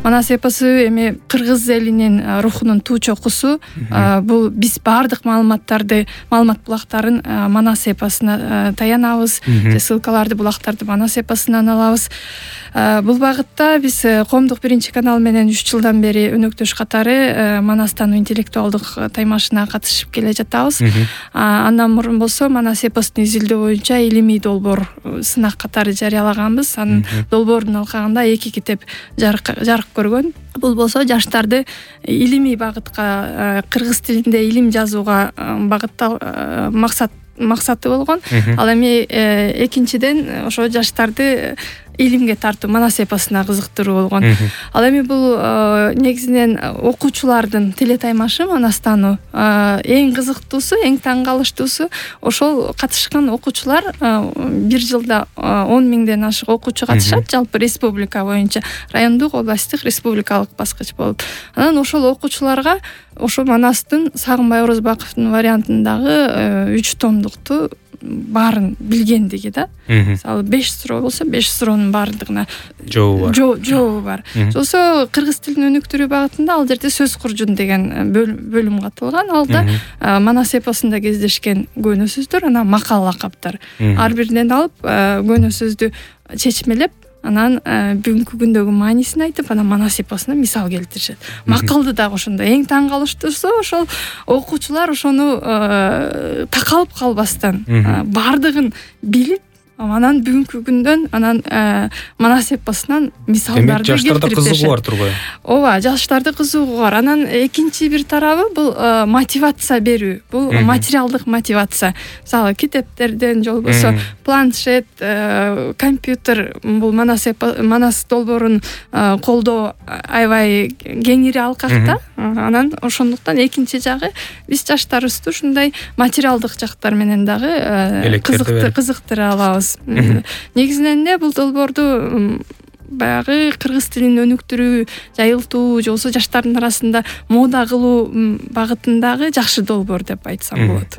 Манас эпосу эми кыргыз элинин рухунун туу чокусу. Бул биз баардык маалымат булактарын Манас эпосуна таянабыз. Ссылкаларды, булактарды Манас эпосунан алабыз. Бул багытта биз Коомдук биринчи канал менен 3 жылдан бери өнөктөш катары Манастан интеллектуалдык таймашына катышып келе жатабыз. Андан мурун болсо Манас эпосун изилдөө боюнча илимий долбоор сынак катары жарыялаганбыз. Анын долбоордун алкагында 2 китеп жарык көргөн. Бул болсо жаштарды илимий багытка, кыргыз тилинде илим жазууга максаты болгон. Ал эми экинчиден ошо жаштарды илимге тартуу, Манас эпосуна кызыктыруу болгон. Ал эми бул негизинен окуучулардын телетаймашы Манастан эң кызыктуусу, эң таң калыштуусу ошол катышкан окуучулар. Бир жылда 10 миңден ашык окуучу катышат, жалпы республика боюнча, райондук, областтык, республикалык баскыч болуп. Анан ошол окуучуларга ошо Манастын Сагынбай Орозбаковдун вариантындагы 3 томдукту баарын билгендиги да. Мисалы 5 суроо болсо 5 суроонун баардыгына жообу бар. Болсо кыргыз тилин өнүктүрүү багытында ал жерде сөз куржун деген бөлүм катылган. Алда Манас эпосунда кездешкен көөнө сөздөр, анан макал лакаптар. Ар биринен алып көөнө сөздү чечмелеп, анан бүгүнкү күндөгү маанисин айтып, анан Манас эпосуна мисал келтиришет. Макалды дагы ошондо эң таң калыштуусу ошол окуучулар ошону такалып калбастан баардыгын билип, анан бүгүнкү күндөн анан Манас эпосунан мисалдарды келтирип беришет. Жаштарда кызыгуу бар турбайбы? Ооба, жаштарда кызыгуу бар. Анан экинчи бир тарабы бул мотивация берүү. Бул материалдык мотивация. Мисалы китептерден же болбосо планшет, компьютер, бул Манас долбоорун колдоо аябай кеңири алкакта. Анан ошондуктан экинчи жагы биз жаштарыбызды ушундай материалдык жактар менен дагы кызыктыра алабыз. Негизинен бул долбоорду баягы кыргыз тилин өнүктүрүү, жайылтуу, же болбосо жаштардын арасында мода кылуу багытындагы жакшы долбоор деп айтсам болот.